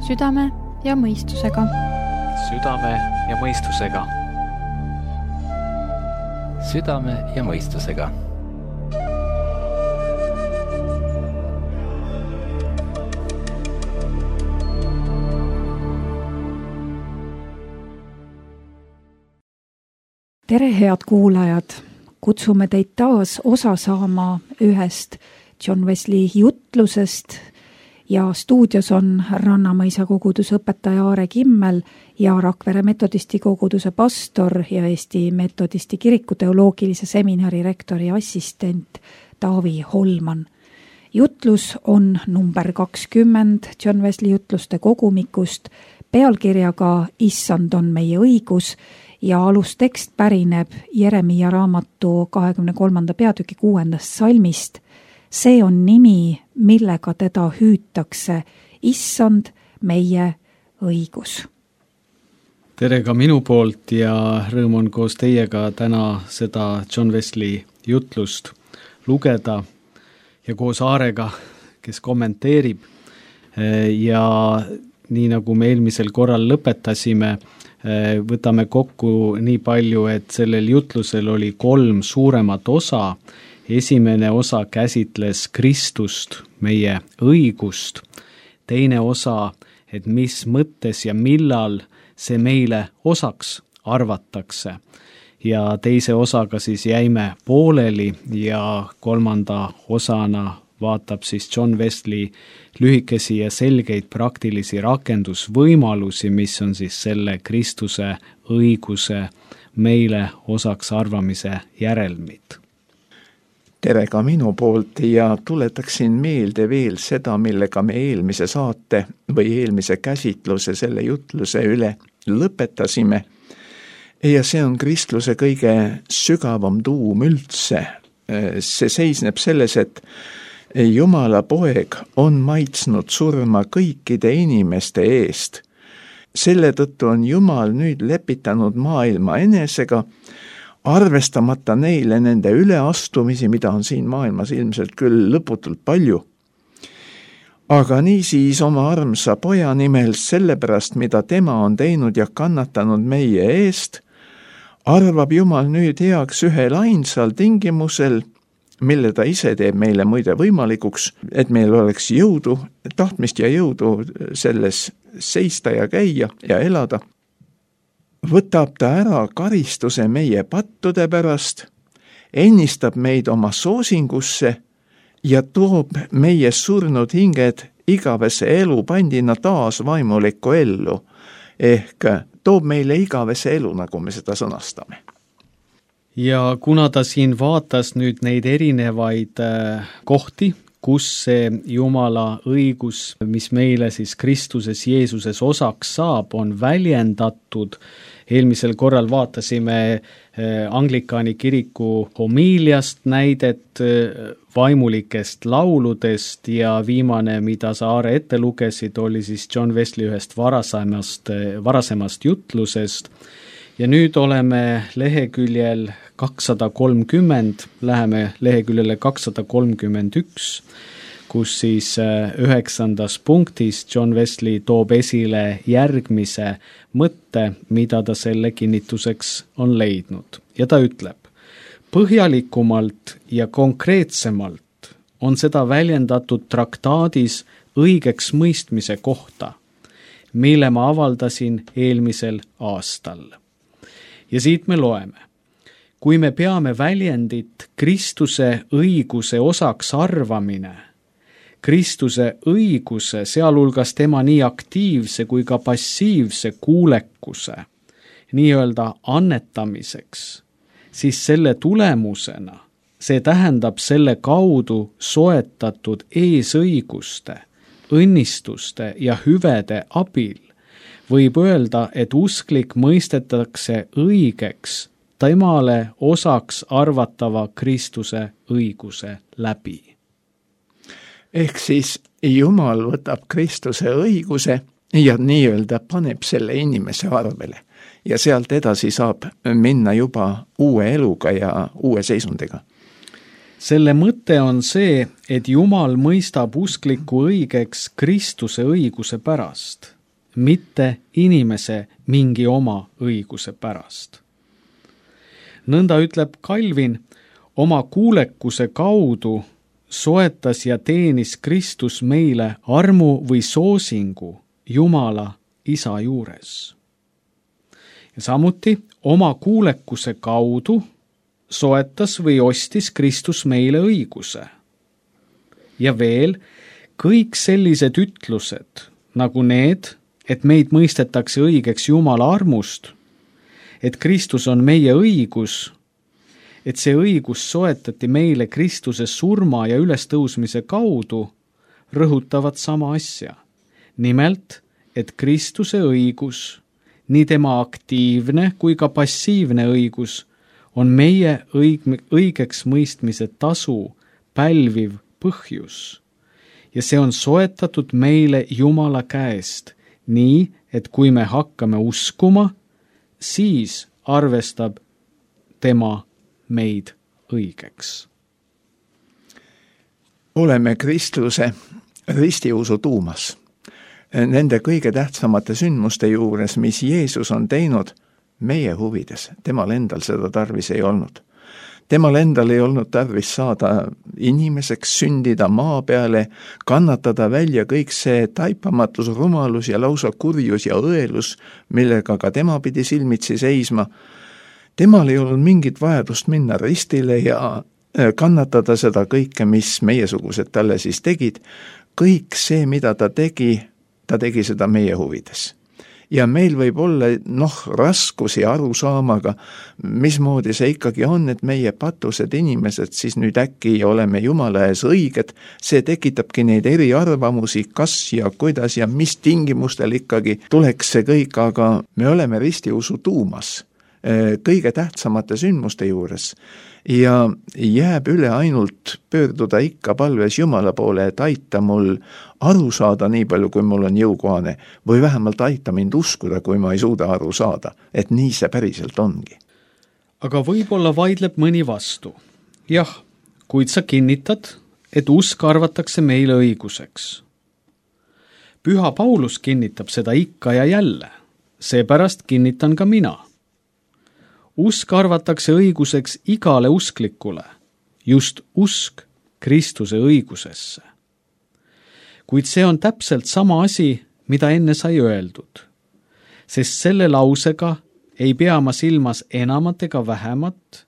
Südame ja mõistusega. Südame ja mõistusega. Südame ja mõistusega. Tere, head kuulajad! Kutsume teid taas osa saama ühest John Wesley jutlusest ja stuudios on Rannamõisa koguduse õpetaja Aare Kimmel ja Rakvere metodisti koguduse pastor ja Eesti metodisti kiriku teoloogilise seminari rektori assistent Taavi Holman. Jutlus on number 20 John Wesley jutluste kogumikust pealkirjaga Issand on meie õigus ja alustekst pärineb Jeremiia raamatu 23. peatüki 6. salmist. See on nimi, millega teda hüütakse, Issand meie õigus. Tere ka minu poolt ja rõõm on koos teiega täna seda John Wesley jutlust lugeda ja koos Aarega, kes kommenteerib. Ja nii nagu me eelmisel korral lõpetasime, võtame kokku nii palju, et sellel jutlusel oli 3 suuremat osa. Esimene osa käsitles Kristust, meie õigust. Teine osa, et mis mõttes ja millal see meile osaks arvatakse. Ja teise osaga siis jäime pooleli ja 3. osana vaatab siis John Wesley lühikesi ja selgeid praktilisi rakendusvõimalusi, mis on siis selle Kristuse õiguse meile osaks arvamise järelmid. Tere ka minu poolt ja tuletaksin meelde veel seda, millega me eelmise saate või eelmise käsitluse selle jutluse üle lõpetasime. Ja see on kristluse kõige sügavam tuum üldse. See seisneb selles, et Jumala poeg on maitsnud surma kõikide inimeste eest. Selle tõttu on Jumal nüüd lepitanud maailma enesega, arvestamata neile nende üleastumisi, mida on siin maailmas ilmselt küll lõputult palju. Aga niisiis oma armsa poja nimel sellepärast, mida tema on teinud ja kannatanud meie eest, arvab Jumal nüüd heaks ühel ainsal tingimusel, mille ta ise teeb meile muide võimalikuks, et meil oleks jõudu, tahtmist ja jõudu selles seista ja käia ja elada. Võtab ta ära karistuse meie pattude pärast, ennistab meid oma soosingusse ja toob meie surnud hinged igavese elu pandina taas vaimulikku ellu, ehk toob meile igavese elu, nagu me seda sõnastame. Ja kuna ta siin vaatas nüüd neid erinevaid kohti, kus see Jumala õigus, mis meile siis Kristuses Jeesuses osaks saab, on väljendatud. Eelmisel korral vaatasime Anglikaani kiriku homiiliast näidet vaimulikest lauludest ja viimane, mida sa Aare ette lugesid, oli siis John Wesley ühest varasemast jutlusest. Ja nüüd oleme leheküljel 230, läheme leheküljele 231, kus siis 9. punktis John Wesley toob esile järgmise mõtte, mida ta selle kinnituseks on leidnud. Ja ta ütleb, põhjalikumalt ja konkreetsemalt on seda väljendatud traktaadis õigeks mõistmise kohta, mille ma avaldasin eelmisel aastal. Ja siit me loeme, kui me peame väljendit Kristuse õiguse osaks arvamine, Kristuse õiguse, sealhulgas tema nii aktiivse kui ka passiivse kuulekuse, nii-öelda annetamiseks, siis selle tulemusena, see tähendab selle kaudu soetatud eesõiguste, õnnistuste ja hüvede abil, võib öelda, et usklik mõistetakse õigeks temale osaks arvatava Kristuse õiguse läbi. Ehk siis Jumal võtab Kristuse õiguse ja nii-öelda paneb selle inimese arvele. Ja sealt edasi saab minna juba uue eluga ja uue seisundiga. Selle mõte on see, et Jumal mõistab uskliku õigeks Kristuse õiguse pärast. mitte inimese mingi oma õiguse pärast. Nõnda ütleb Calvin, oma kuulekuse kaudu soetas ja teenis Kristus meile armu või soosingu Jumala Isa juures. Ja samuti oma kuulekuse kaudu soetas või ostis Kristus meile õiguse. Ja veel kõik sellised ütlused, nagu need, et meid mõistetakse õigeks Jumala armust, et Kristus on meie õigus, et see õigus soetati meile Kristuse surma ja ülestõusmise kaudu, rõhutavad sama asja. Nimelt, et Kristuse õigus, nii tema aktiivne kui ka passiivne õigus, on meie õigeks mõistmise tasu pälviv põhjus. Ja see on soetatud meile Jumala käest, nii et kui me hakkame uskuma, siis arvestab tema meid õigeks. Oleme kristluse ristiusu tuumas. Nende kõige tähtsamate sündmuste juures, mis Jeesus on teinud meie huvides. Temal endal seda tarvis ei olnud. Temal endal ei olnud tarvis saada inimeseks, sündida maa peale, kannatada välja kõik see taipamatus, rumalus ja lausa kurjus ja õelus, millega ka tema pidi silmitsi seisma. Temal ei olnud mingit vajadust minna ristile ja kannatada seda kõike, mis meiesugused talle siis tegid. Kõik see, mida ta tegi seda meie huvides. Ja meil võib olla raskusi aru saamaga, mismoodi see ikkagi on, et meie patused inimesed siis nüüd äkki oleme Jumala ees õiged. See tekitabki neid eriarvamusi, kas ja kuidas ja mis tingimustel ikkagi tuleks see kõik, aga me oleme ristiusu tuumas kõige tähtsamate sündmuste juures ja jääb üle ainult pöörduda ikka palves Jumala poole, et aita mul aru saada nii palju, kui mul on jõukohane, või vähemalt aita mind uskuda, kui ma ei suuda aru saada, et nii see päriselt ongi. Aga võib-olla vaidleb mõni vastu. Jah, kuid sa kinnitad, et usk arvatakse meile õiguseks. Püha Paulus kinnitab seda ikka ja jälle, seepärast kinnitan ka mina. Usk arvatakse õiguseks igale usklikule, just usk Kristuse õigusesse. Kuid see on täpselt sama asi, mida enne sai öeldud, sest selle lausega ei pea ma silmas enamat ega vähemat,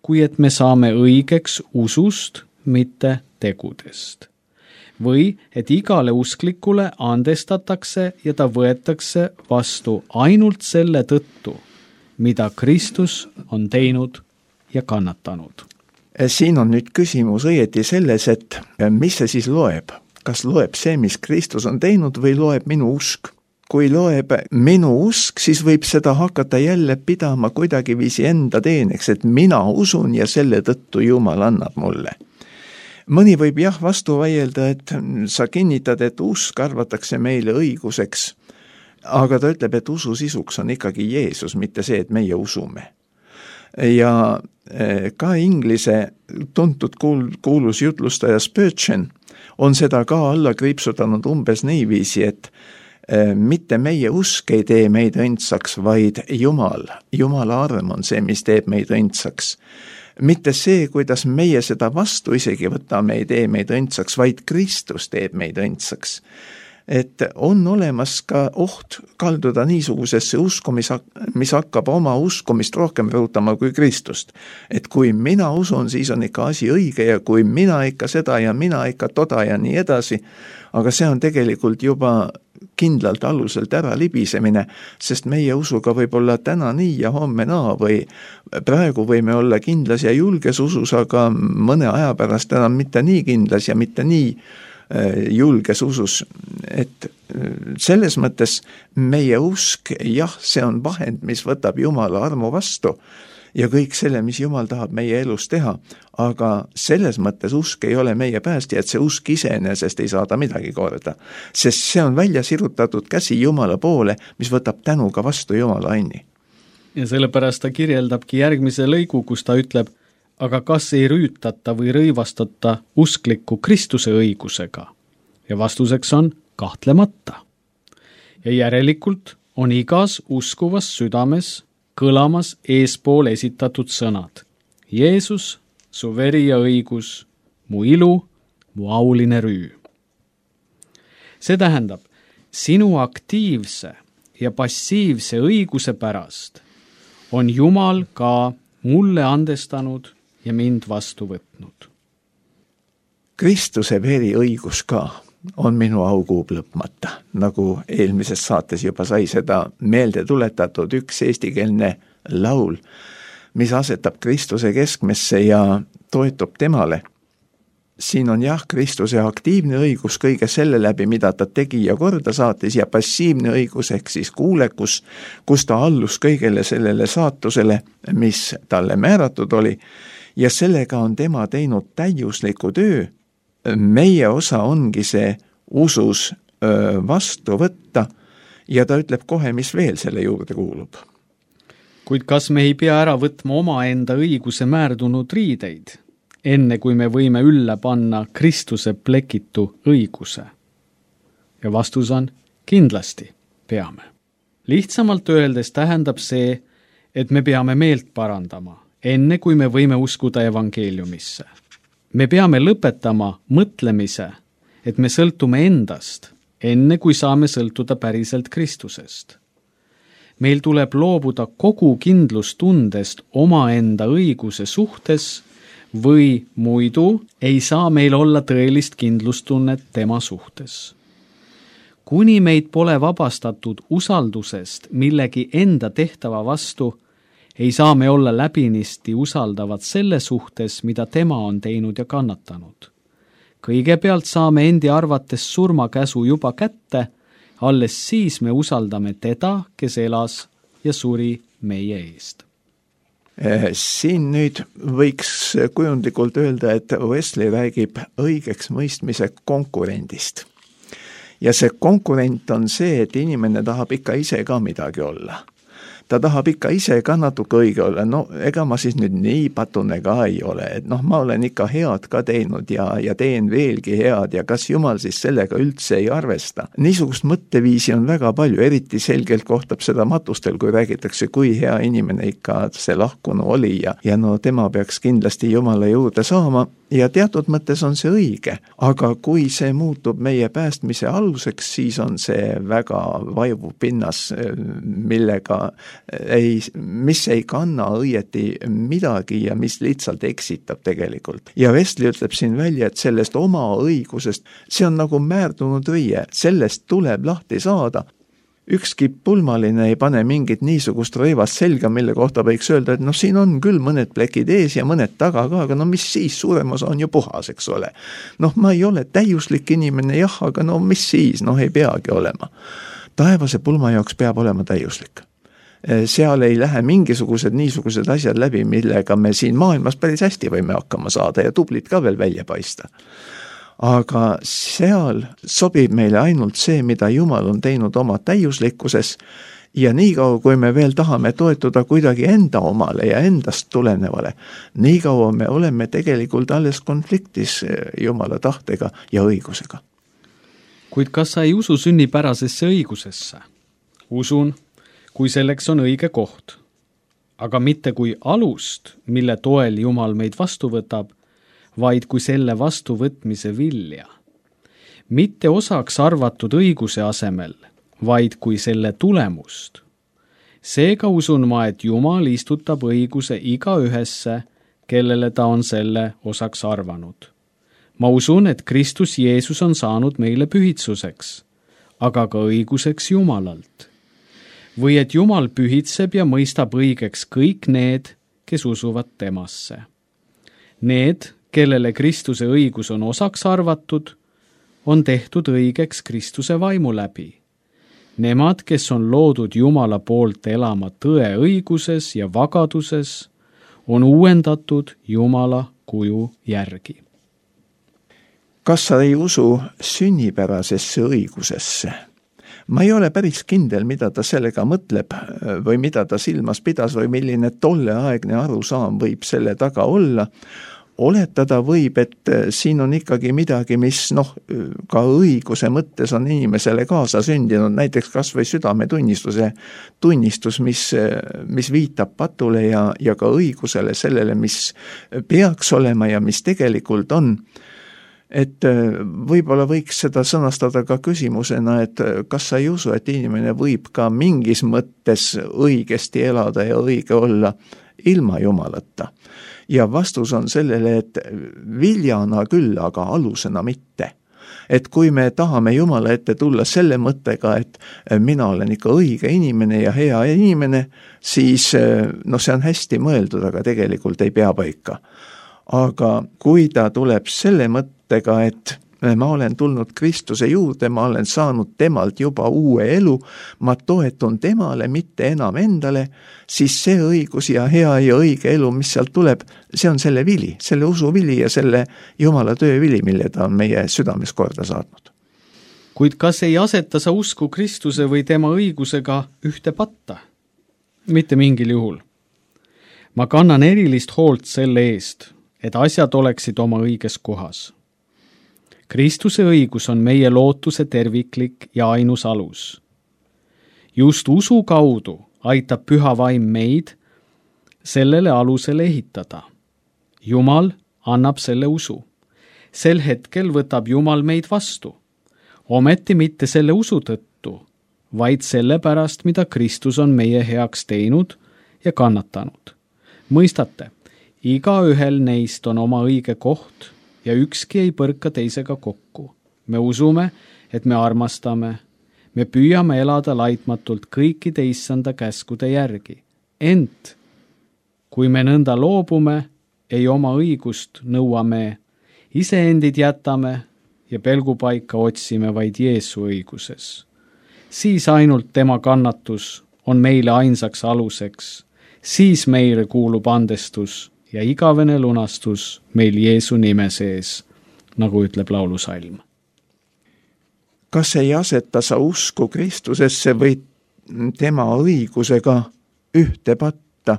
kui et me saame õigeks usust, mitte tegudest. Või et igale usklikule andestatakse ja ta võetakse vastu ainult selle tõttu, mida Kristus on teinud ja kannatanud. Siin on nüüd küsimus õieti selles, et mis see siis loeb? Kas loeb see, mis Kristus on teinud, või loeb minu usk? Kui loeb minu usk, siis võib seda hakata jälle pidama kuidagiviisi enda teeneks, et mina usun ja selle tõttu Jumal annab mulle. Mõni võib jah vastu vaielda, et sa kinnitad, et usk arvatakse meile õiguseks, aga ta ütleb, et usu sisuks on ikkagi Jeesus, mitte see, et meie usume. Ja ka inglise tuntud kuulus jutlustaja Spurgeon on seda ka alla kriipsutanud umbes niiviisi, et mitte meie usk ei tee meid õndsaks, vaid Jumala arm on see, mis teeb meid õndsaks. Mitte see, kuidas meie seda vastu isegi võtame, ei tee meid õndsaks, vaid Kristus teeb meid õndsaks. Et on olemas ka oht kalduda niisugusesse usku, mis hakkab oma uskumist rohkem rõhutama kui Kristust. Et kui mina usun, siis on ikka asi õige ja kui mina ikka seda ja mina ikka toda ja nii edasi, aga see on tegelikult juba kindlalt aluselt ära libisemine, sest meie usuga võib olla täna nii ja homme naa või praegu võime olla kindlas ja julges usus, aga mõne aja pärast enam mitte nii kindlas ja mitte nii julges usus, et selles mõttes meie usk, jah, see on vahend, mis võtab Jumala armu vastu ja kõik selle, mis Jumal tahab meie elus teha, aga selles mõttes usk ei ole meie päästja, et see usk iseenesest ei saada midagi korda, sest see on välja sirutatud käsi Jumala poole, mis võtab tänuga vastu Jumala anni. Ja sellepärast ta kirjeldabki järgmise lõigu, kus ta ütleb, aga kas ei rüütata või rõivastata uskliku Kristuse õigusega? Ja vastuseks on kahtlemata. ja järelikult on igas uskuvas südames kõlamas eespool esitatud sõnad. Jeesus, su veri ja õigus, mu ilu, mu auline rüü. See tähendab, sinu aktiivse ja passiivse õiguse pärast on Jumal ka mulle andestanud ja mind vastu võtnud. Kristuse veri õigus ka on minu aukuub lõpmata, nagu eelmises saates juba sai seda meelde tuletatud üks eestikeelne laul, mis asetab Kristuse keskmesse ja toetub temale. Siin on jah, Kristuse aktiivne õigus kõige selle läbi, mida ta tegi ja korda saatis, ja passiivne õigus ehk siis kuulekus, kus ta allus kõigele sellele saatusele, mis talle määratud oli, ja sellega on tema teinud täiusliku töö. Meie osa ongi see usus vastu võtta ja ta ütleb kohe, mis veel selle juurde kuulub. Kuid kas me ei pea ära võtma omaenda õiguse määrdunud riideid, enne kui me võime ülle panna Kristuse plekitu õiguse? Ja vastus on kindlasti peame. Lihtsamalt öeldes tähendab see, et me peame meelt parandama, enne kui me võime uskuda evangeeliumisse. Me peame lõpetama mõtlemise, et me sõltume endast, enne kui saame sõltuda päriselt Kristusest. Meil tuleb loobuda kogu kindlustundest omaenda õiguse suhtes või muidu ei saa meil olla tõelist kindlustunnet tema suhtes. Kuni meid pole vabastatud usaldusest millegi enda tehtava vastu, ei saa me olla läbinisti usaldavad selle suhtes, mida tema on teinud ja kannatanud. Kõigepealt saame endi arvates surmakäsu juba kätte, alles siis me usaldame teda, kes elas ja suri meie eest. Siin nüüd võiks kujundlikult öelda, et Wesley räägib õigeks mõistmise konkurendist. Ja see konkurent on see, et inimene tahab ikka ise ka midagi olla. Ta tahab ikka ise ka natuke õige olla, no ega ma siis nüüd nii patune ka ei ole, et ma olen ikka head ka teinud ja teen veelgi head ja kas Jumal siis sellega üldse ei arvesta. Niisugust mõtteviisi on väga palju, eriti selgelt kohtab seda matustel, kui räägitakse, kui hea inimene ikka see lahkunu oli ja no tema peaks kindlasti Jumala juurde saama ja teatud mõttes on see õige, aga kui see muutub meie päästmise aluseks, siis on see väga vaivu pinnas, mis ei kanna õieti midagi ja mis lihtsalt eksitab tegelikult. Ja Wesley ütleb siin välja, et sellest oma õigusest, see on nagu määrdunud riie, sellest tuleb lahti saada. Ükski pulmaline ei pane mingit niisugust rõivast selga, mille kohta võiks öelda, et siin on küll mõned plekid ees ja mõned taga ka, aga mis siis, suurem osa on ju puhas, eks ole. Ma ei ole täiuslik inimene, jah, aga mis siis, ei peagi olema. Taevase pulma jaoks peab olema täiuslik. Seal ei lähe mingisugused niisugused asjad läbi, millega me siin maailmas päris hästi võime hakkama saada ja tublid ka veel välja paista. Aga seal sobib meile ainult see, mida Jumal on teinud oma täiuslikkuses ja niikaua, kui me veel tahame toetuda kuidagi enda omale ja endast tulenevale, niikaua me oleme tegelikult alles konfliktis Jumala tahtega ja õigusega. Kuid kas sa ei usu sünnipärasesse õigusesse? Usun, kui selleks on õige koht, aga mitte kui alust, mille toel Jumal meid vastu võtab, vaid kui selle vastuvõtmise vilja. Mitte osaks arvatud õiguse asemel, vaid kui selle tulemust. Seega usun ma, et Jumal istutab õiguse igaühesse, kellele ta on selle osaks arvanud. Ma usun, et Kristus Jeesus on saanud meile pühitsuseks, aga ka õiguseks Jumalalt. Või et Jumal pühitseb ja mõistab õigeks kõik need, kes usuvad temasse. Need, kellele Kristuse õigus on osaks arvatud, on tehtud õigeks Kristuse vaimu läbi. Nemad, kes on loodud Jumala poolt elama tõe õiguses ja vagaduses, on uuendatud Jumala kuju järgi. Kas sa ei usu sünnipärasesse õigusesse? Ma ei ole päris kindel, mida ta sellega mõtleb või mida ta silmas pidas või milline tolleaegne arusaam võib selle taga olla, oletada võib, et siin on ikkagi midagi, mis ka õiguse mõttes on inimesele kaasa sündinud, näiteks kas või südametunnistuse tunnistus, mis viitab patule ja ka õigusele, sellele, mis peaks olema ja mis tegelikult on. Et võib-olla võiks seda sõnastada ka küsimusena, et kas sa ei usu, et inimene võib ka mingis mõttes õigesti elada ja õige olla ilma Jumalata. Ja vastus on sellele, et viljana küll, aga alusena mitte. Et kui me tahame Jumala ette tulla selle mõttega, et mina olen ikka õige inimene ja hea inimene, siis see on hästi mõeldud, aga tegelikult ei pea paika. Aga kui ta tuleb selle mõttega, et ma olen tulnud Kristuse juurde, ma olen saanud temalt juba uue elu, ma toetun temale, mitte enam endale, siis see õigus ja hea ja õige elu, mis sealt tuleb, see on selle vili, selle usu vili ja selle Jumala töö vili, mille ta on meie südames korda saatnud. Kuid kas ei aseta sa usku Kristuse või tema õigusega ühte patta? Mitte mingil juhul. Ma kannan erilist hoolt selle eest, et asjad oleksid oma õiges kohas. Kristuse õigus on meie lootuse terviklik ja ainus alus. Just usu kaudu aitab püha vaim meid sellele alusele ehitada. Jumal annab selle usu. Sel hetkel võtab Jumal meid vastu. Ometi mitte selle usu tõttu, vaid selle pärast, mida Kristus on meie heaks teinud ja kannatanud. Mõistate, igaühel neist on oma õige koht ja ükski ei põrka teisega kokku. Me usume, et me armastame, me püüame elada laitmatult kõikide issanda käskude järgi. Ent, kui me nõnda loobume, ei oma õigust nõuame, iseendid jätame ja pelgupaika otsime vaid Jeesu õiguses. Siis ainult tema kannatus on meile ainsaks aluseks, siis meile kuulub andestus ja igavene lunastus meil Jeesu nime sees, nagu ütleb laulusalm. Kas ei aseta sa usku Kristusesse või tema õigusega ühte patta?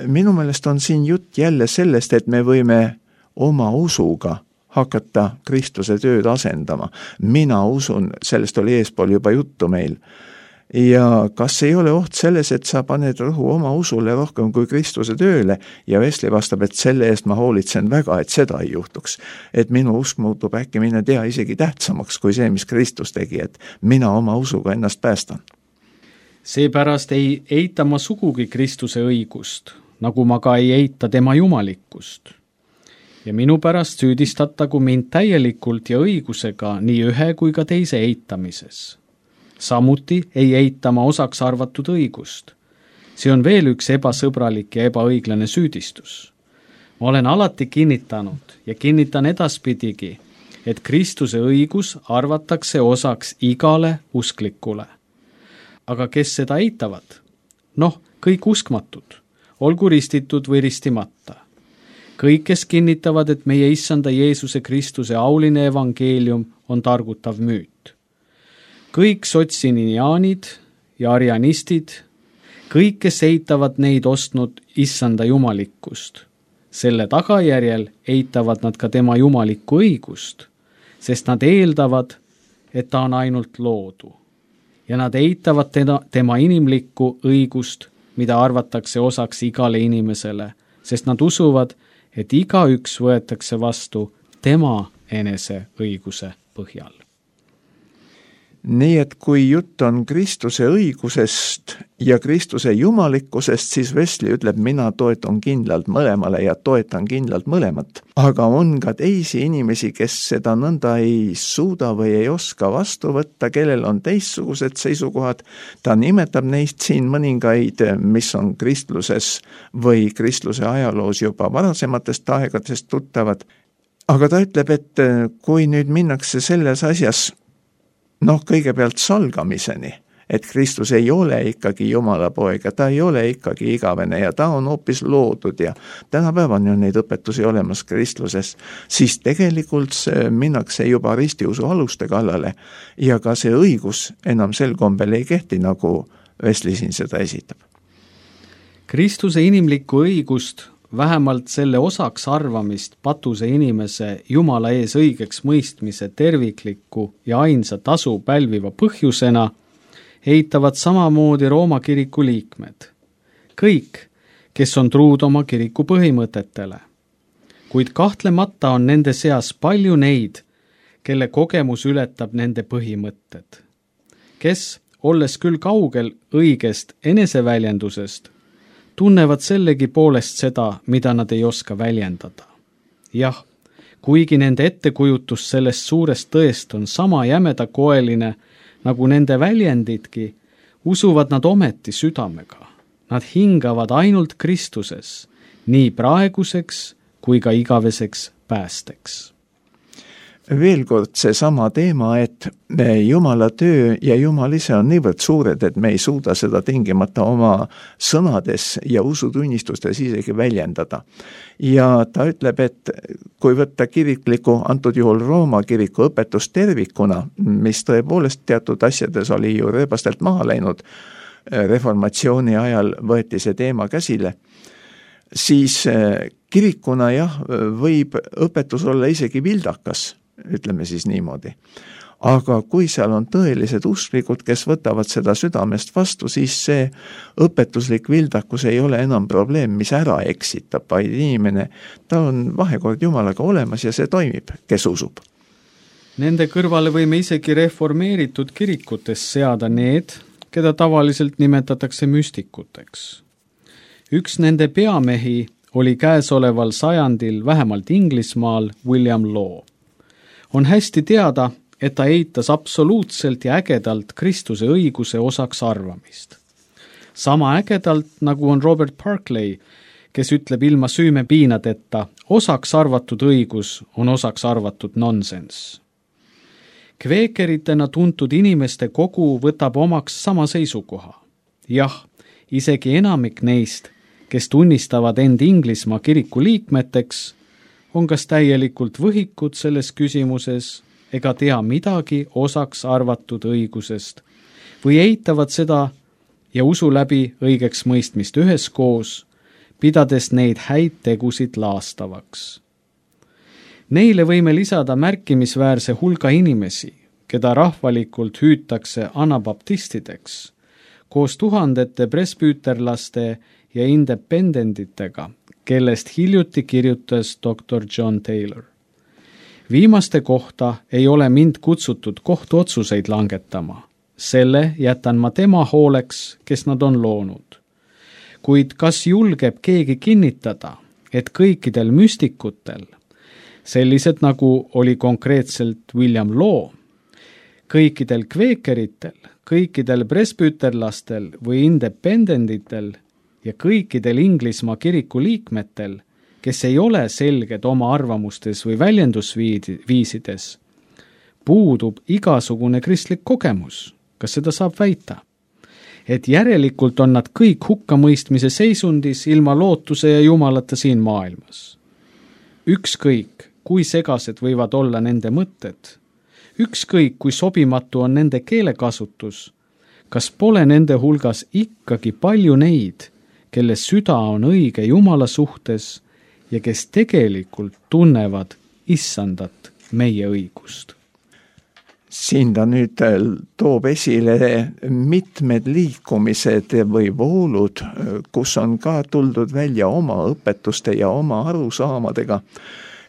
Minu meelest on siin jutt jälle sellest, et me võime oma usuga hakata Kristuse tööd asendama. Mina usun, sellest oli eespool juba juttu meil. Ja kas ei ole oht selles, et sa paned rõhu oma usule rohkem kui Kristuse tööle ja Wesley vastab, et selle eest ma hoolitsen väga, et seda ei juhtuks. Et minu usk muutub äkki mine tea isegi tähtsamaks kui see, mis Kristus tegi, et mina oma usuga ennast päästan. Seepärast ei eita ma sugugi Kristuse õigust, nagu ma ka ei eita tema jumalikkust. Ja minu pärast süüdistatagu mind täielikult ja õigusega nii ühe kui ka teise eitamises. Samuti ei eitama osaks arvatud õigust. See on veel üks ebasõbralik ja ebaõiglane süüdistus. Ma olen alati kinnitanud ja kinnitan edaspidigi, et Kristuse õigus arvatakse osaks igale usklikule. Aga kes seda eitavad? Kõik uskmatud, olgu ristitud või ristimata. Kõik, kes kinnitavad, et meie issanda Jeesuse Kristuse auline evangeelium on targutav müüt. Kõik sotsinianid ja arianistid, kõik, kes eitavad neid ostnud issanda jumalikkust. Selle tagajärjel eitavad nad ka tema jumalikku õigust, sest nad eeldavad, et ta on ainult loodu. Ja nad eitavad tema inimlikku õigust, mida arvatakse osaks igale inimesele, sest nad usuvad, et igaüks võetakse vastu tema enese õiguse põhjal. Nii et kui jutt on Kristuse õigusest ja Kristuse jumalikkusest, siis Wesley ütleb, mina toetan kindlalt mõlemale ja toetan kindlalt mõlemat. Aga on ka teisi inimesi, kes seda nõnda ei suuda või ei oska vastu võtta, kellel on teistsugused seisukohad. Ta nimetab neist siin mõningaid, mis on kristluses või kristluse ajaloos juba varasematest aegadest tuttavad. Aga ta ütleb, et kui nüüd minnakse selles asjas kõigepealt salgamiseni, et Kristus ei ole ikkagi Jumala poeg ja ta ei ole ikkagi igavene ja ta on hoopis loodud ja tänapäevani on neid õpetusi olemas kristluses, siis tegelikult minnakse juba ristiusu aluste kallale ja ka see õigus enam sel kombel ei kehti, nagu Wesley siin seda esitab. Kristuse inimlikku õigust vähemalt selle osaks arvamist patuse inimese Jumala ees õigeks mõistmise tervikliku ja ainsa tasu pälviva põhjusena, eitavad samamoodi Rooma kiriku liikmed. Kõik, kes on truud oma kiriku põhimõtetele. Kuid kahtlemata on nende seas palju neid, kelle kogemus ületab nende põhimõtted. Kes, olles küll kaugel õigest eneseväljendusest, tunnevad sellegi poolest seda, mida nad ei oska väljendada. Jah, kuigi nende ettekujutus sellest suurest tõest on sama jämedakoeline, nagu nende väljendidki, usuvad nad ometi südamega. Nad hingavad ainult Kristuses, nii praeguseks kui ka igaveseks päästeks. Veel kord seesama teema, et Jumala töö ja Jumal ise on niivõrd suured, et me ei suuda seda tingimata oma sõnades ja usutunnistustes isegi väljendada. Ja ta ütleb, et kui võtta kirikliku, antud juhul Rooma kiriku õpetus tervikuna, mis tõepoolest teatud asjades oli ju rööbastelt maha läinud, reformatsiooni ajal võeti see teema käsile, siis kirikuna võib õpetus olla isegi vildakas, ütleme siis niimoodi. Aga kui seal on tõelised usklikud, kes võtavad seda südamest vastu, siis see õpetuslik vildakus ei ole enam probleem, mis ära eksitab, vaid inimene, ta on vahekord Jumalaga olemas ja see toimib, kes usub. Nende kõrvale võime isegi reformeeritud kirikutes seada need, keda tavaliselt nimetatakse müstikuteks. Üks nende peamehi oli käesoleval sajandil vähemalt Inglismaal William Law. On hästi teada, et ta eitas absoluutselt ja ägedalt Kristuse õiguse osaks arvamist. Sama ägedalt, nagu on Robert Barclay, kes ütleb ilma süümepiinadeta, osaks arvatud õigus on osaks arvatud nonsense. Kveekeritena tuntud inimeste kogu võtab omaks sama seisukoha. Jah, isegi enamik neist, kes tunnistavad end Inglismaa kiriku liikmeteks, on kas täielikult võhikud selles küsimuses ega tea midagi osaks arvatud õigusest või eitavad seda ja usu läbi õigeks mõistmist üheskoos, pidades neid häid tegusid laastavaks. Neile võime lisada märkimisväärse hulga inimesi, keda rahvalikult hüütakse anabaptistideks, koos tuhandete presbüüterlaste ja independentitega, kellest hiljuti kirjutas Dr. John Taylor. Viimaste kohta ei ole mind kutsutud kohtuotsuseid langetama. Selle jätan ma tema hooleks, kes nad on loonud. Kuid kas julgeb keegi kinnitada, et kõikidel müstikutel, sellised nagu oli konkreetselt William Law, kõikidel kveekeritel, kõikidel presbüüterlastel või independentitel ja kõikidel Inglismaa kiriku liikmetel, kes ei ole selged oma arvamustes või väljendusviisides, puudub igasugune kristlik kogemus. Kas seda saab väita? Et järelikult on nad kõik hukkamõistmise seisundis ilma lootuse ja Jumalata siin maailmas. Ükskõik, kui segased võivad olla nende mõtted, ükskõik, kui sobimatu on nende keelekasutus, kas pole nende hulgas ikkagi palju neid, kelle süda on õige Jumala suhtes ja kes tegelikult tunnevad issandat meie õigust. Siin ta nüüd toob esile mitmed liikumised või voolud, kus on ka tuldud välja oma õpetuste ja oma arusaamadega.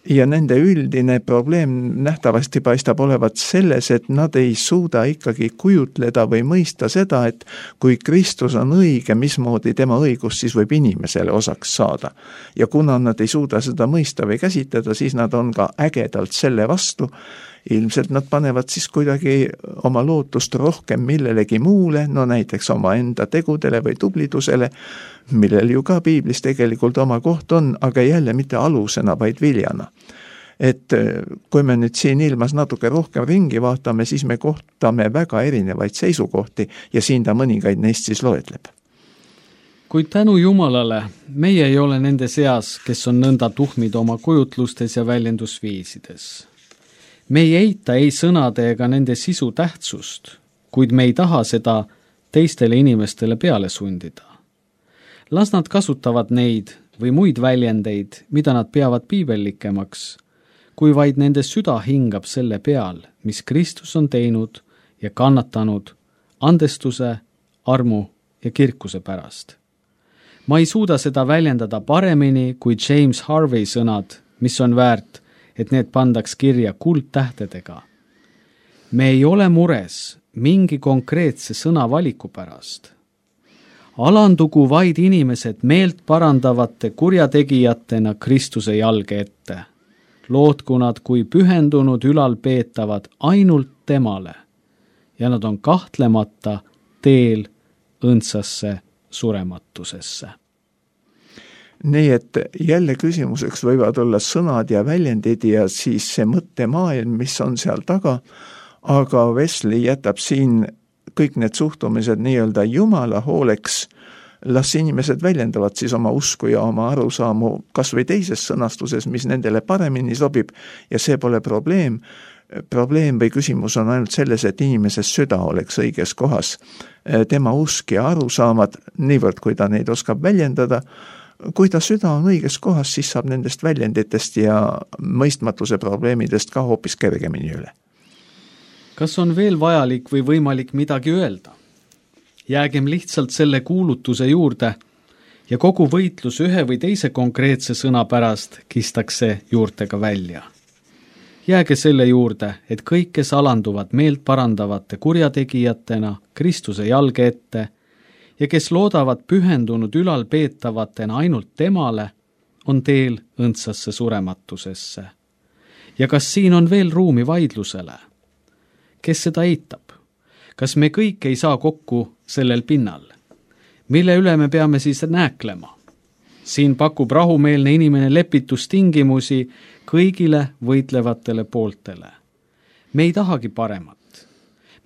Ja nende üldine probleem nähtavasti paistab olevat selles, et nad ei suuda ikkagi kujutleda või mõista seda, et kui Kristus on õige, mismoodi tema õigus siis võib inimesele osaks saada. Ja kuna nad ei suuda seda mõista või käsitleda, siis nad on ka ägedalt selle vastu. Ilmselt nad panevad siis kuidagi oma lootust rohkem millelegi muule, no näiteks oma enda tegudele või tublidusele, millel ju ka piiblis tegelikult oma koht on, aga jälle mitte alusena, vaid viljana. Et kui me nüüd siin ilmas natuke rohkem ringi vaatame, siis me kohtame väga erinevaid seisukohti ja siin ta mõningaid neist siis loetleb. Kuid tänu Jumalale, meie ei ole nende seas, kes on nõnda tuhmid oma kujutlustes ja väljendusviisides. Me ei eita ei sõnade ega nende sisu tähtsust, kuid me ei taha seda teistele inimestele peale sundida. Las nad kasutavad neid või muid väljendeid, mida nad peavad piibellikemaks, kui vaid nende süda hingab selle peal, mis Kristus on teinud ja kannatanud andestuse, armu ja kirkuse pärast. Ma ei suuda seda väljendada paremini kui James Harvey sõnad, mis on väärt, et need pandaks kirja kuldtähtedega. Me ei ole mures mingi konkreetse sõnavaliku pärast. Alandugu vaid inimesed meelt parandavate kurjategijatena Kristuse jalge ette. Lootku nad kui pühendunud ülalpeetavad ainult temale ja nad on kahtlemata teel õndsasse surematusesse. Nii et jälle küsimuseks võivad olla sõnad ja väljendid ja siis see mõttemaailm, mis on seal taga, aga Wesley jätab siin kõik need suhtumised nii-öelda Jumala hooleks, las inimesed väljendavad siis oma usku ja oma arusaamu kas või teises sõnastuses, mis nendele paremini sobib ja see pole probleem. Probleem või küsimus on ainult selles, et inimese süda oleks õiges kohas. Tema usk ja arusaamad, niivõrd kui ta neid oskab väljendada, kui ta süda on õiges kohas, siis saab nendest väljenditest ja mõistmatuse probleemidest ka hoopis kergemini üle. Kas on veel vajalik või võimalik midagi öelda? Jäägem lihtsalt selle kuulutuse juurde ja kogu võitlus ühe või teise konkreetse sõna pärast kistakse juurtega välja. Jääge selle juurde, et kõik, kes alanduvad meelt parandavate kurjategijatena Kristuse jalge ette ja kes loodavad pühendunud ülalpeetavatena ainult temale, on teel õndsasse surematusesse. Ja kas siin on veel ruumi vaidlusele? Kes seda eitab? Kas me kõik ei saa kokku sellel pinnal? Mille üle me peame siis nääklema? Siin pakub rahumeelne inimene lepitustingimusi kõigile võitlevatele pooltele. Me ei tahagi paremat.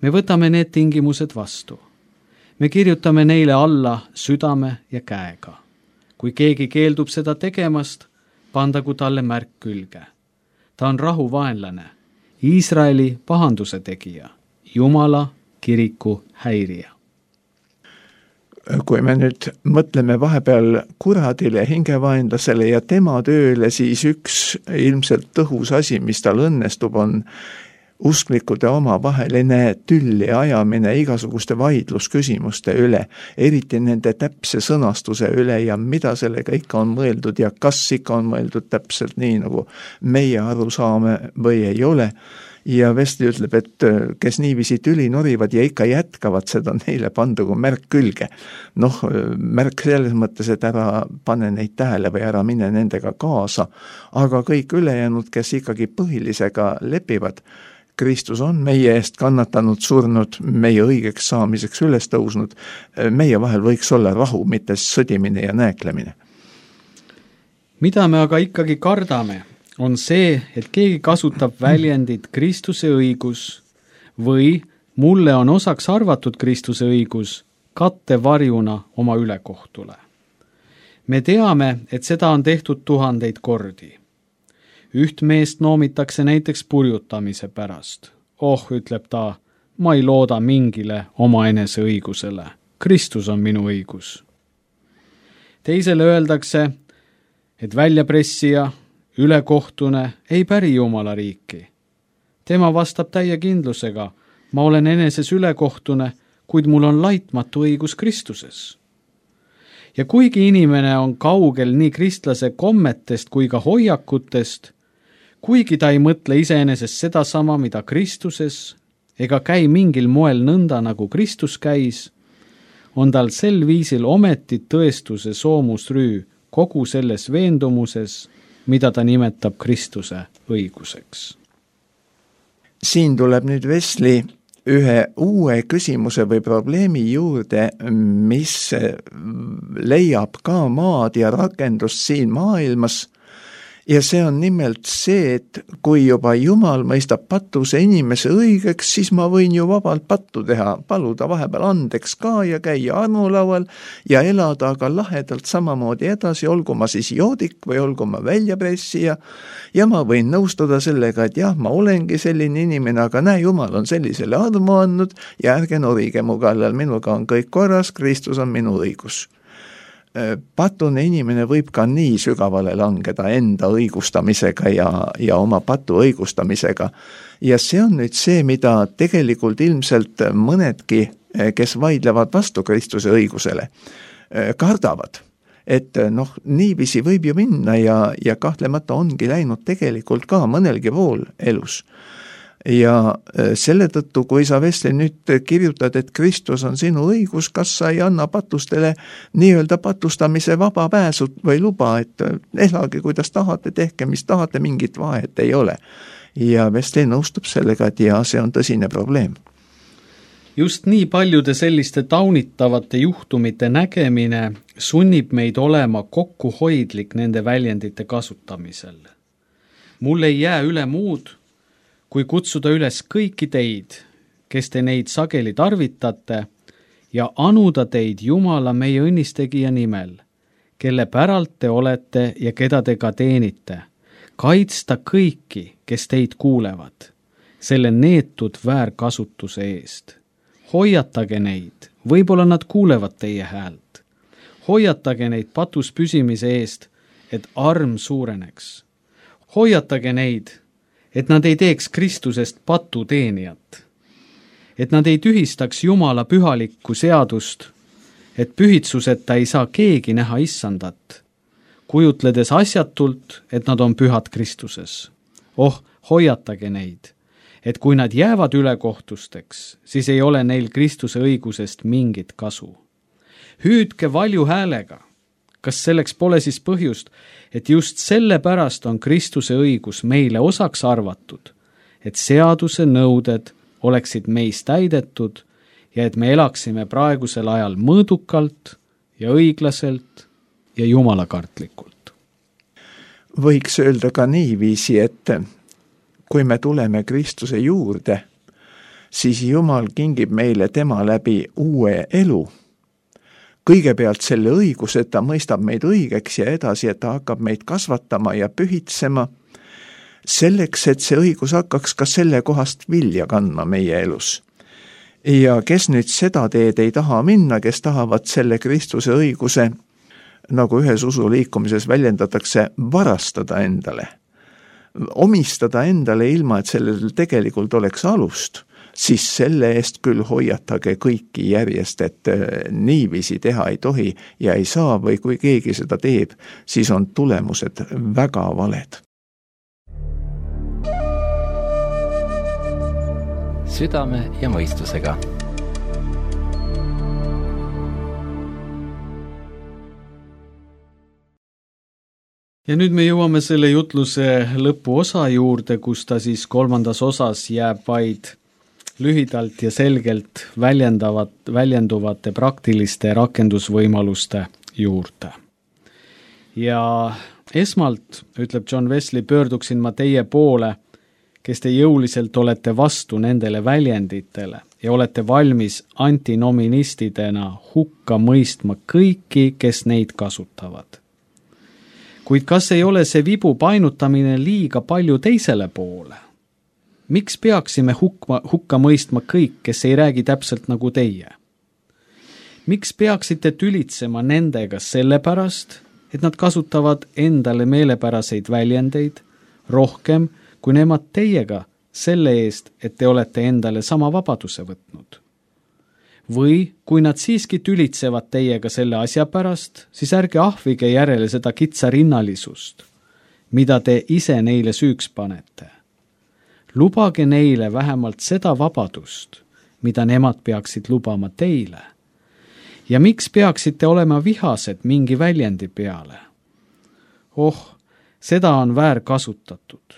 Me võtame need tingimused vastu. Me kirjutame neile alla südame ja käega. Kui keegi keeldub seda tegemast, pandagu talle märk külge. Ta on rahuvaenlane, Iisraeli pahanduse tegija, Jumala kiriku häirija. Kui me nüüd mõtleme vahepeal kuradile, hingevaenlasele ja tema tööle, siis üks ilmselt tõhus asi, mis tal õnnestub, on usklikude omavaheline tülli ajamine igasuguste vaidlusküsimuste üle, eriti nende täpse sõnastuse üle ja mida sellega ikka on mõeldud ja kas ikka on mõeldud täpselt nii, nagu meie aru saame või ei ole. Ja Wesley ütleb, et kes niiviisi tüli norivad ja ikka jätkavad, seda neile pandugu märk külge. Märk selles mõttes, et ära pane neid tähele või ära mine nendega kaasa, aga kõik ülejäänud, kes ikkagi põhilisega lepivad, Kristus on meie eest kannatanud, surnud, meie õigeks saamiseks üles tõusnud, meie vahel võiks olla rahu, mitte sõdimine ja nääklemine. Mida me aga ikkagi kardame? On see, et keegi kasutab väljendit Kristuse õigus või mulle on osaks arvatud Kristuse õigus kattevarjuna oma ülekohtule. Me teame, et seda on tehtud 1000 kordi. Üht meest noomitakse näiteks purjutamise pärast. Ütleb ta, ma ei looda mingile omaenese õigusele. Kristus on minu õigus. Teisele öeldakse, et väljapressija ülekohtune ei päri Jumala riiki. Tema vastab täie kindlusega, ma olen eneses ülekohtune, kuid mul on laitmatu õigus Kristuses. Ja kuigi inimene on kaugel nii kristlase kommetest kui ka hoiakutest, kuigi ta ei mõtle iseenesest sedasama, mida Kristuses, ega käi mingil moel nõnda, nagu Kristus käis, on tal sel viisil ometi tõestuse soomusrüü kogu selles veendumuses, mida ta nimetab Kristuse õiguseks. Siin tuleb nüüd Wesley ühe uue küsimuse või probleemi juurde, mis leiab ka maad ja rakendust siin maailmas. Ja see on nimelt see, et kui juba Jumal mõistab patuse inimese õigeks, siis ma võin ju vabalt pattu teha, paluda vahepeal andeks ka ja käia armulaual ja elada aga lahedalt samamoodi edasi, olgu ma siis joodik või olgu ma väljapressija ja ma võin nõustuda sellega, et jah, ma olengi selline inimene, aga näe, Jumal on sellisele armu andnud ja ärge norige mu kallal, minuga on kõik korras, Kristus on minu õigus. patune inimene võib ka nii sügavale langeda enda õigustamisega ja oma patu õigustamisega. Ja see on nüüd see, mida tegelikult ilmselt mõnedki, kes vaidlevad vastu Kristuse õigusele, kardavad. Et niiviisi võib ju minna ja kahtlemata ongi läinud tegelikult ka mõnelgi pool elus. Ja selle tõttu, kui sa, Vesli, nüüd kirjutad, et Kristus on sinu õigus, kas sa ei anna patustele nii-öelda patustamise vaba pääsu või luba, et elage, kuidas tahate, tehke, mis tahate, mingit vahet ei ole. Ja Vesli nõustub sellega, et see on tõsine probleem. Just nii paljude selliste taunitavate juhtumite nägemine sunnib meid olema kokkuhoidlik nende väljendite kasutamisel. Mul ei jää üle muud, kui kutsuda üles kõiki teid, kes te neid sageli tarvitate, ja anuda teid Jumala meie õnnistegija nimel, kelle päralt te olete ja keda te ka teenite, kaitsta kõiki, kes teid kuulevad, selle neetud väärkasutuse eest. Hoiatage neid, võib-olla nad kuulevad teie häält. Hoiatage neid patus püsimise eest, et arm suureneks. Hoiatage neid, et nad ei teeks Kristusest patuteenijat. Et nad ei tühistaks Jumala pühalikku seadust, et pühitsuseta ei saa keegi näha issandat, kujutledes asjatult, et nad on pühad Kristuses. Hoiatage neid, et kui nad jäävad ülekohtusteks, siis ei ole neil Kristuse õigusest mingit kasu. Hüüdke valju häälega. Kas selleks pole siis põhjust, et just selle pärast on Kristuse õigus meile osaks arvatud, et seaduse nõuded oleksid meis täidetud ja et me elaksime praegusel ajal mõõdukalt ja õiglaselt ja jumalakartlikult. Võiks öelda ka niiviisi, et kui me tuleme Kristuse juurde, siis Jumal kingib meile tema läbi uue elu. Kõigepealt selle õiguse, et ta mõistab meid õigeks ja edasi, et ta hakkab meid kasvatama ja pühitsema, selleks, et see õigus hakkaks ka selle kohast vilja kandma meie elus. Ja kes nüüd seda teed ei taha minna, kes tahavad selle Kristuse õiguse, nagu ühes usuliikumises väljendatakse, varastada endale, omistada endale ilma, et sellel tegelikult oleks alust, siis selle eest küll hoiatage kõiki järjest, et niiviisi teha ei tohi ja ei saa või kui keegi seda teeb, siis on tulemused väga valed. Südame ja mõistusega. Ja nüüd me jõuame selle jutluse lõpuosa juurde, kus ta siis kolmandas osas jääb vaid lühidalt ja selgelt väljenduvate praktiliste rakendusvõimaluste juurde. Ja esmalt, ütleb John Wesley, pöörduksin ma teie poole, kes te jõuliselt olete vastu nendele väljenditele ja olete valmis antinoministidena hukka mõistma kõiki, kes neid kasutavad. Kuid kas ei ole see vibu painutamine liiga palju teisele poole? Miks peaksime hukka mõistma kõik, kes ei räägi täpselt nagu teie? Miks peaksite tülitsema nendega sellepärast, et nad kasutavad endale meelepäraseid väljendeid rohkem, kui nemad teiega selle eest, et te olete endale sama vabaduse võtnud? Või kui nad siiski tülitsevad teiega selle asja pärast, siis ärge ahvige järele seda kitsarinnalisust, mida te ise neile süüks panete. Lubage neile vähemalt seda vabadust, mida nemad peaksid lubama teile. Ja miks peaksite olema vihased mingi väljendi peale? Seda on väär kasutatud.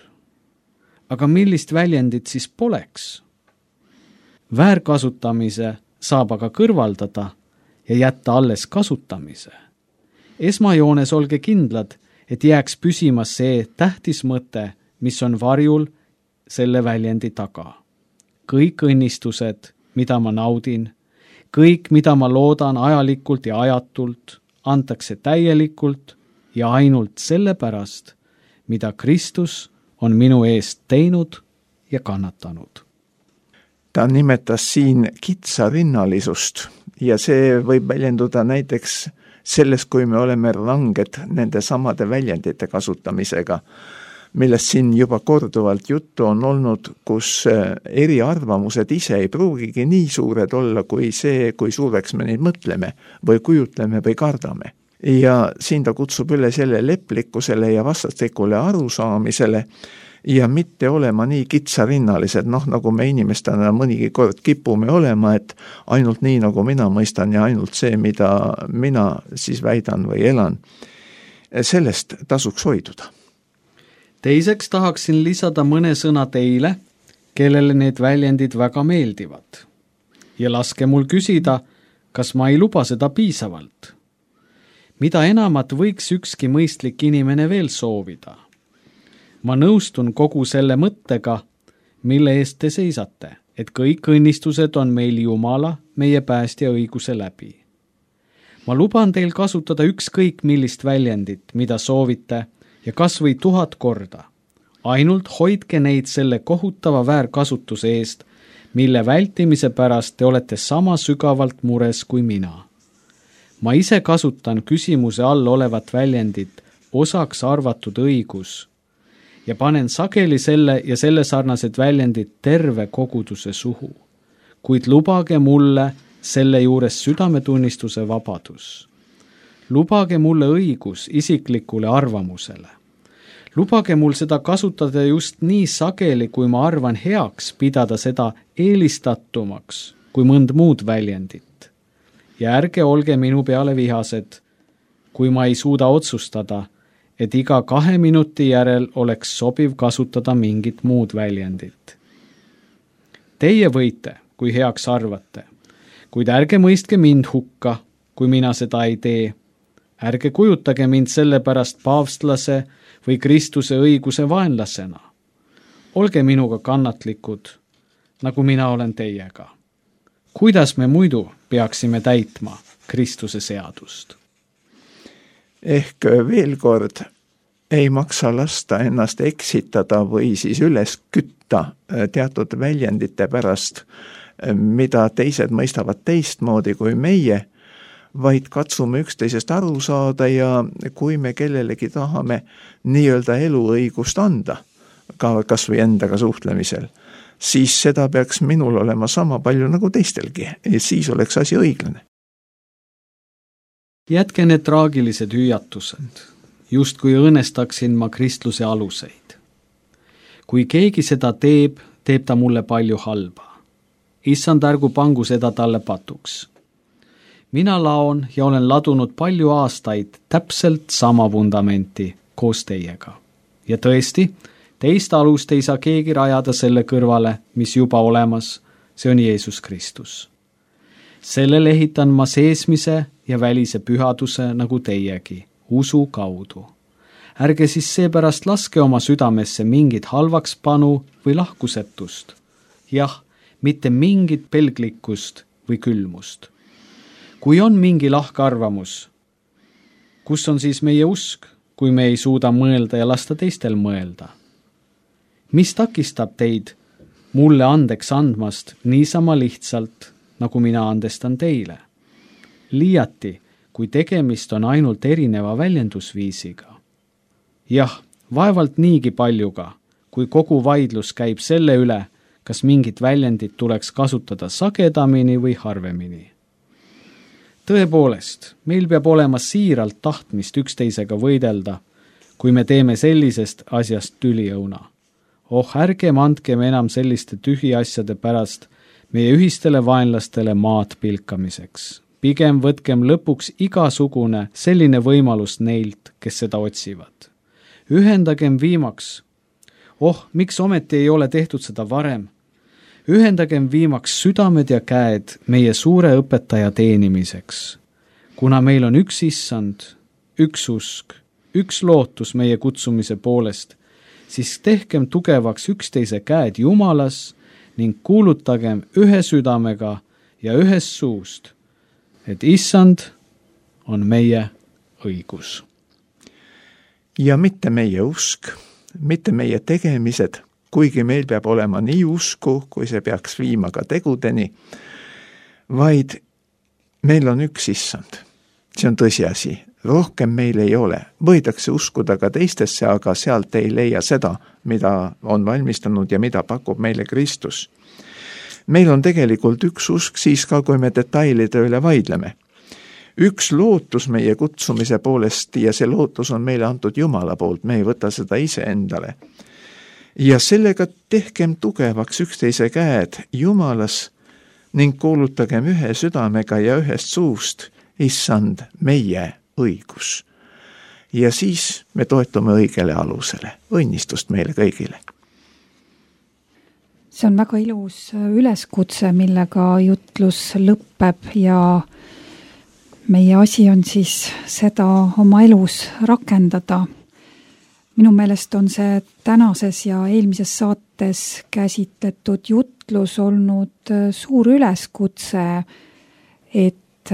Aga millist väljendit siis poleks? Väärkasutamise saab aga kõrvaldada ja jätta alles kasutamise. Esmajoones olge kindlad, et jääks püsima see tähtis mõte, mis on varjul selle väljendi taga. Kõik õnnistused, mida ma naudin, kõik, mida ma loodan ajalikult ja ajatult, antakse täielikult ja ainult sellepärast, mida Kristus on minu eest teinud ja kannatanud. Ta nimetas siin kitsarinnalisust ja see võib väljenduda näiteks selles, kui me oleme ranged nende samade väljendite kasutamisega, millest siin juba korduvalt juttu on olnud, kus eriarvamused ise ei pruugigi nii suured olla kui see, kui suureks me neid mõtleme või kujutleme või kardame. Ja siin ta kutsub üle selle leplikkusele ja vastastikule arusaamisele ja mitte olema nii kitsarinnalised, nagu me inimestena mõnigi kord kipume olema, et ainult nii, nagu mina mõistan ja ainult see, mida mina siis väidan või elan. Sellest tasuks hoiduda. Teiseks tahaksin lisada mõne sõna teile, kellele need väljendid väga meeldivad. Ja laske mul küsida, kas ma ei luba seda piisavalt. Mida enamat võiks ükski mõistlik inimene veel soovida? Ma nõustun kogu selle mõttega, mille eest te seisate, et kõik õnnistused on meil Jumala, meie päästja õiguse läbi. Ma luban teil kasutada ükskõik millist väljendit, mida soovite, ja kas või 1000 korda. Ainult hoidke neid selle kohutava väärkasutuse eest, mille vältimise pärast te olete sama sügavalt mures kui mina. Ma ise kasutan küsimuse all olevat väljendit osaks arvatud õigus ja panen sageli selle ja selle sarnased väljendid terve koguduse suhu. Kuid lubage mulle selle juures südametunnistuse vabadus. Lubage mulle õigus isiklikule arvamusele. Lubage mul seda kasutada just nii sageli, kui ma arvan heaks pidada seda eelistatumaks kui mõnd muud väljendit. Ja ärge olge minu peale vihased, kui ma ei suuda otsustada, et iga 2 minuti järel oleks sobiv kasutada mingit muud väljendit. Teie võite, kui heaks arvate, kuid ärge mõistke mind hukka, kui mina seda ei tee. Ärge kujutage mind sellepärast paavstlase või Kristuse õiguse vaenlasena. Olge minuga kannatlikud, nagu mina olen teiega. Kuidas me muidu peaksime täitma Kristuse seadust? Ehk veel kord, ei maksa lasta ennast eksitada või siis üles kütta teatud väljendite pärast, mida teised mõistavad teistmoodi kui meie, vaid katsume üksteisest aru saada ja kui me kellelegi tahame nii-öelda eluõigust anda, kas või endaga suhtlemisel, siis seda peaks minul olema sama palju nagu teistelgi, ja siis oleks asi õiglane. Jätke need traagilised hüüatused, just kui õõnestaksin ma kristluse aluseid. Kui keegi seda teeb, teeb ta mulle palju halba. Issand, ärgu pangu seda talle patuks. Mina laon ja olen ladunud palju aastaid täpselt sama vundamenti koos teiega. Ja tõesti, teist alust ei saa keegi rajada selle kõrvale, mis juba olemas, see on Jeesus Kristus. Sellele ehitan ma seesmise ja välise pühaduse nagu teiegi, usu kaudu. Ärge siis seepärast laske oma südamesse mingit halvakspanu või lahkusetust. Jah, mitte mingit pelglikkust või külmust. Kui on mingi lahkarvamus, kus on siis meie usk, kui me ei suuda mõelda ja lasta teistel mõelda? Mis takistab teid mulle andeks andmast niisama lihtsalt, nagu mina andestan teile? Liiati, kui tegemist on ainult erineva väljendusviisiga. Jah, vaevalt niigi paljuga, kui kogu vaidlus käib selle üle, kas mingit väljendit tuleks kasutada sagedamini või harvemini. Tõepoolest, meil peab olema siiralt tahtmist üksteisega võidelda, kui me teeme sellisest asjast tüliõuna. Ärgem andkem enam selliste tühiasjade pärast meie ühistele vaenlastele maad pilkamiseks. Pigem võtkem lõpuks igasugune selline võimalus neilt, kes seda otsivad. Ühendagem viimaks. Miks ometi ei ole tehtud seda varem? Ühendagem viimaks südamed ja käed meie suure õpetaja teenimiseks. Kuna meil on üks issand, üks usk, üks lootus meie kutsumise poolest, siis tehkem tugevaks üksteise käed Jumalas ning kuulutagem ühe südamega ja ühes suust, et issand on meie õigus. Ja mitte meie usk, mitte meie tegemised, kuigi meil peab olema nii usku, kui see peaks viima ka tegudeni, vaid meil on üks issand see on tõsiasi, rohkem meil ei ole. Võidakse uskuda ka teistesse, aga sealt ei leia seda, mida on valmistanud ja mida pakub meile Kristus. Meil on tegelikult üks usk siis ka, kui me detailide üle vaidleme. Üks lootus meie kutsumise poolest ja see lootus on meile antud Jumala poolt, me ei võta seda ise endale. Ja sellega tehkem tugevaks üksteise käed Jumalas ning kuulutagem ühe südamega ja ühest suust, issand, meie õigus. Ja siis me toetume õigele alusele. Õnnistust meile kõigile. See on väga ilus üleskutse, millega jutlus lõpeb ja meie asi on siis seda oma elus rakendada. Minu meelest on see tänases ja eelmises saates käsitletud jutlus olnud suur üleskutse, et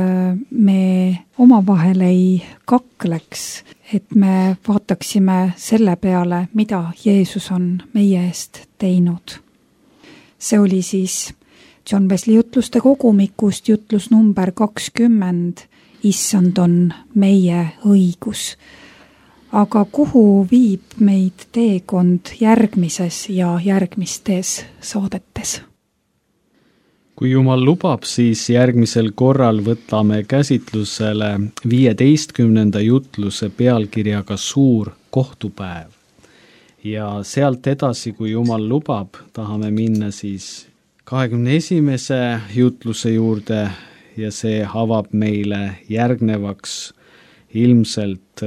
me omavahel ei kakleks, et me vaataksime selle peale, mida Jeesus on meie eest teinud. See oli siis John Wesley jutluste kogumikust jutlus number 20, issand on meie õigus. Aga kuhu viib meid teekond järgmises ja järgmistes saadetes? Kui Jumal lubab, siis järgmisel korral võtame käsitlusele 15. jutluse pealkirjaga Suur kohtupäev. Ja sealt edasi, kui Jumal lubab, tahame minna siis 21. jutluse juurde ja see avab meile järgnevaks ilmselt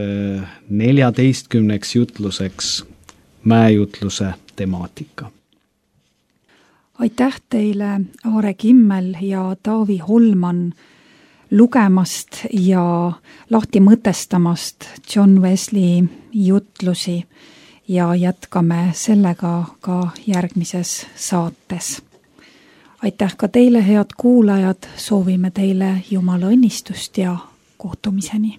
14. jutluseks mäejutluse temaatika. Aitäh teile, Aare Kimmel ja Taavi Holman, lugemast ja lahti mõtestamast John Wesley jutlusi ja jätkame sellega ka järgmises saates. Aitäh ka teile, head kuulajad, soovime teile Jumala õnnistust ja kohtumiseni.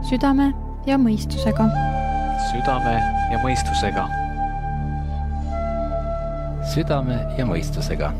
Südame ja mõistusega. Südame ja mõistusega. Südame ja mõistusega.